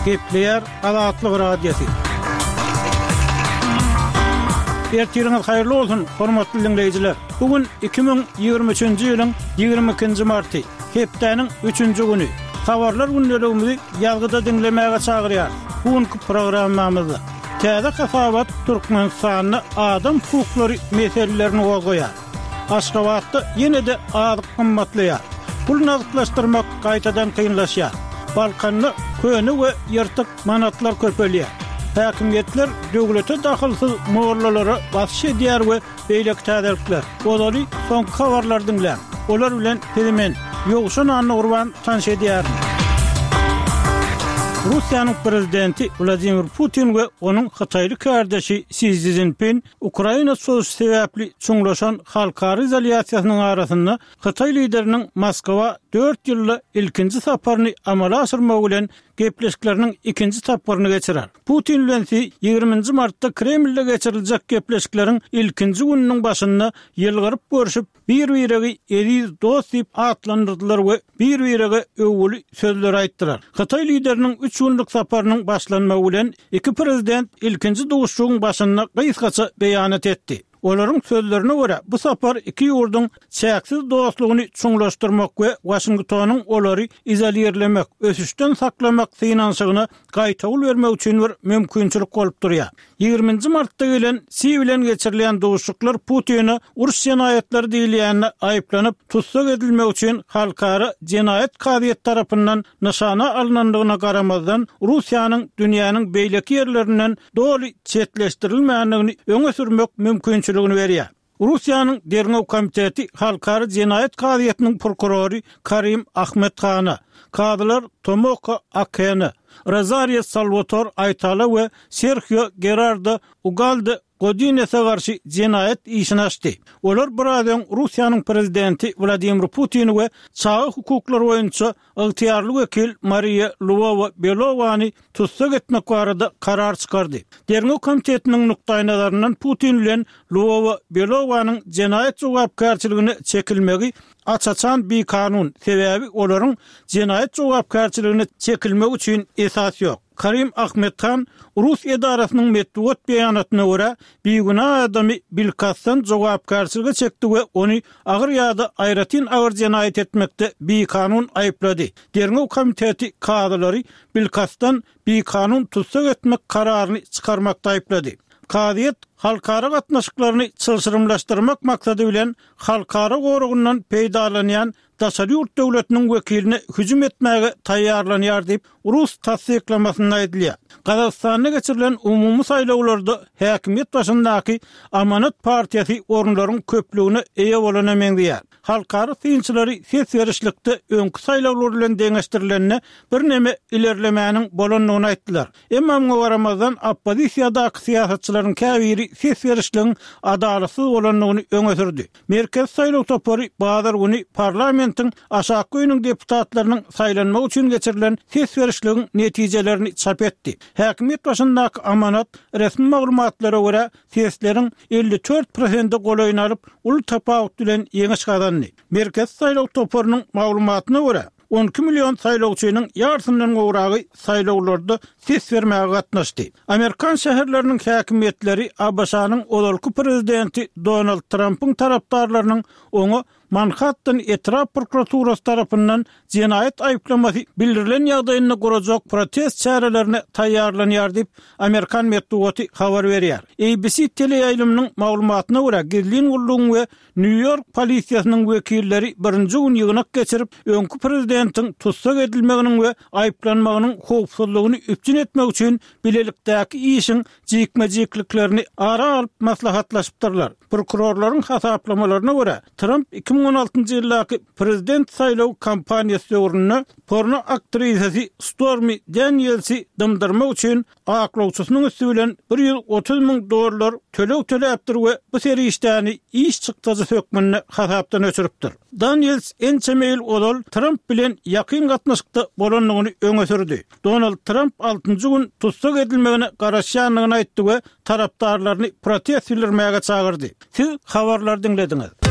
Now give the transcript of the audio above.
Gepleýär Azatlyk Radiosy. Ertiriňiz haýyrly bolsun, hormatly diňleýjiler! Bu gün 2023-nji ýylyň 22-nji marty, hepdäniň üçünji güni. Habarlar gündeligimizi ýazgyda diňlemäge çagyrýarys. Bu günki programmamyzda täze hasabat Türkmenistanda adam hukuklary meselelerini gozgaýar. Aşgabatda ýene-de azyk gymmatlaýar. Pul nagtlaşdyrmak gaýtadan kynlaşýar. Balkanda köne we ýyrtyk manatlar köpelýär. Häkimiýetler döwlete dahylsyz mollalara basyş edýär we beýleki täzelikler. Ozaly soňky habarlary diňläň. Olar bilen sizi men, Ýowşan Annagurban tanyş edýärin. Russiýanyň prezidenti Wladimir Putin we onuň hytaýly kärdeşi Si Szinpin Ukraina çozuşy sebäpli çuňlaşan halkara izolýasiýasynyň arasynda hytaý lideriniň Moskwa dört ýylda ilkinji saparyny amala aşyrmagy bilen gepleşikleriniň ikinji tapgyryny geçirer. Putin bilen Si ýigriminji martda Kremlde geçiriljek gepleşikleriň ilkinji gününiň başynda ýylgyryp görşüp, bir-biregi eziz dost diýip atlandyrdylar we bir-birege öwgüli sözleri aýtdylar. Hytaý lideriniň üç günlük saparynyň başlanmagy bilen, iki prezident ilkinji duşuşygyň başynda gysgaça beýanat etdi. Olaryň sözlerine görä, bu sapar iki ýurduň çäksiz dostlugyny çuňlaşdyrmak we Waşingtonyň olary izolirlemek, ösüşden saklamak synanyşygyna gaýtawul bermek üçin bir mümkinçilik bolup durýar. Ýigriminji martda gelen Si bilen geçirilýän duşuşyklar Putine uruş jenaýatlary diýilýände aýyplanyp, tussag edilmegi üçin Halkara jenaýat kazyýeti tarapyndan nyşana alnandygyna garamazdan, Russiýanyň dünýäniň beýleki ýerlerinden doly çetleşdirilmändigini öňe sürmek mümkinçiligini berýär. Russiýanyň Derňew komiteti Halkara jenaýat kazyýetiniň prokurory Karim Ahmed Hana, kazylar Tomoko Akene, Rozario Salwator Aýtala we Serhio Gerardo Ugalde Godinese garşy jenaýat işini açdy. Olar biraz öň Russiýanyň prezidenti Wladimir Putini we çaga hukuklary boýunça ygtyýarly wekil Mariýa Lwowa-Belowany tussag etmek barada karar çykardy. Derňew komitetiniň nukdaýnazaryndan Putin bilen Lwowa-Belowanyň jenaýat jogapkärçiligine çekilmegi aç-açan bikanun, sebäbi olaryň jenaýat jogapkärçiligine çekilmegi üçin esas ýok. Karim Ahmedhan rus edarasynyň metbugat beýanatyna görä, bigünä adamy bilkastdan jogapkärçilige çekdi we ony agyr ýa-da aýratyn agyr jenaýat etmekde bikanun aýyplady. Derňew komiteti kazylary bilkastdan bikanun tussag etmek kararyny çykarmakda aýyplady. Kazyýet halkara gatnaşyklaryny çylşyrymlaşdyrmak maksady bilen halkara goragyndan peýdalanýan daşary ýurt döwletiniň wekiline hüjüm etmäge taýýarlanýar diýip, rus tassyklamasynda aýdylýar. Gazagystanda geçirilen umumy saýlawlarda häkimiýet başyndaky Amanat partiýasy orunlaryň köplügine eýe bolana meňzeýär. Halkara synçylary ses berişlikde öňki saýlawlar bilen deňeşdirilende birneme ilerlemäniň bolandygyny aýtdylar. Emma muňa garamazdan, oppozisiýadaky syýasatçylaryň käbiri ses berişligiň adalatsyz bolandygyny öňe sürdi. Merkezi saýlaw topary bazar güni parlamentiň aşakky öýüniň deputatlarynyň saýlanmagy üçin geçirilen ses berişligiň netijelerini çap etdi. Häkimiýet başyndaky Amanat, resmi maglumatlara görä, sesleriň 54 prosente golaýyny alyp, uly tapawut bilen ýeňiş gazandy. Merkezi saýlaw toparynyň maglumatyna görä, 12 million saýlawçynyň ýarysyndan gowragy saýlawlarda ses bermäge gatnaşdy. Amerikan şäherleriniň häkimiýetleri ABŞ-nyň ozalky prezidenti Donald Trampyň tarapdarlarynyň oňa Manhattan etrap prokuraturasy tarapyndan jenaýat aýyplamasy bildirilen ýagdaýynda gurajak protest çärelerine taýýarlanýar diýip, amerikan metbugaty habar berýär. ABC teleýaýlymynyň maglumatyna görä, gizlin gullugyň we Nýu-Ýork polisiýasynyň wekilleri birinji gün ýygnak geçirip, öňki prezidentiň tussag edilmeginiň we aýyplanmagynyň howpsuzlygyny üpjün etmek üçin bilelikdäki işiň jikme-jikliklerini ara alyp maslahatlaşypdyrlar. Prokurorlaryň hasaplamalaryna görä, Tramp 2016-njy ýyldaky prezident saýlaw kampaniýasy döwründe porno aktrisasy Stormi Danielsi dymdyrmak üçin aklawçysynyň üsti bilen 130 müň dollar töleg töläpdir we bu serişdäni iş çykdajysy hökmünde hasapdan öçüripdir. Daniels ençeme ýyl ozal Tramp bilen ýakyn gatnaşykda bolandygyny öňe sürdi. Donald Tramp altynjy gün tussag edilmegine garaşýandygyny aýtdy we tarapdarlaryny protest bildirmäge çagyrdy. Siz habarlary diňlediňiz.